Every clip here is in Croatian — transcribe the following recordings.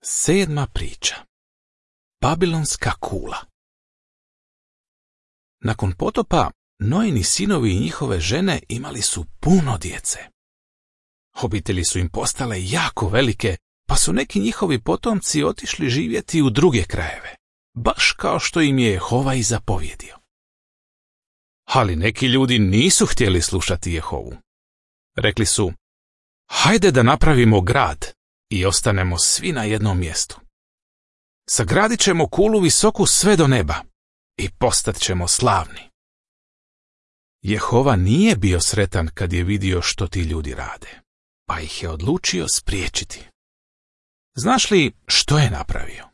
7. priča. Babilonska kula. Nakon potopa, Noini sinovi i njihove žene imali su puno djece. Obitelji su im postale jako velike, pa su neki njihovi potomci otišli živjeti u druge krajeve, baš kao što im je Jehova i zapovjedio. Ali neki ljudi nisu htjeli slušati Jehovu. Rekli su, hajde da napravimo grad i ostanemo svi na jednom mjestu. Sagradit ćemo kulu visoku sve do neba i postat ćemo slavni. Jehova nije bio sretan kad je vidio što ti ljudi rade, pa ih je odlučio spriječiti. Znaš li što je napravio?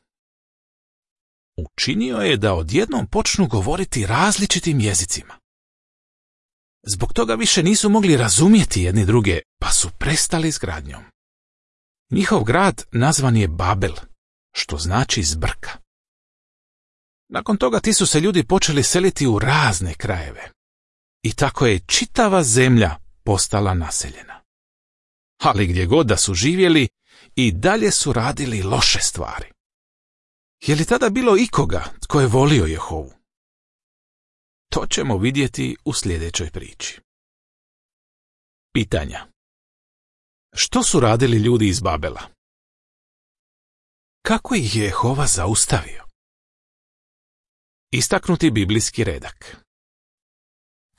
Učinio je da odjednom počnu govoriti različitim jezicima. Zbog toga više nisu mogli razumjeti jedni druge, pa su prestali s gradnjom. Njihov grad nazvan je Babel, što znači zbrka. Nakon toga ti su se ljudi počeli seliti u razne krajeve. I tako je čitava zemlja postala naseljena. Ali gdje god da su živjeli, i dalje su radili loše stvari. Je li tada bilo ikoga tko je volio Jehovu? To ćemo vidjeti u sljedećoj priči. Pitanja. Što su radili ljudi iz Babela? Kako ih je Jehova zaustavio? Istaknuti biblijski redak.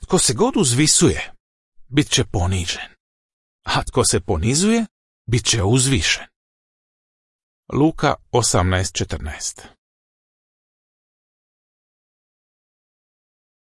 Tko se god uzvisuje, bit će ponižen, a tko se ponizuje, bit će uzvišen. Luka 18:14.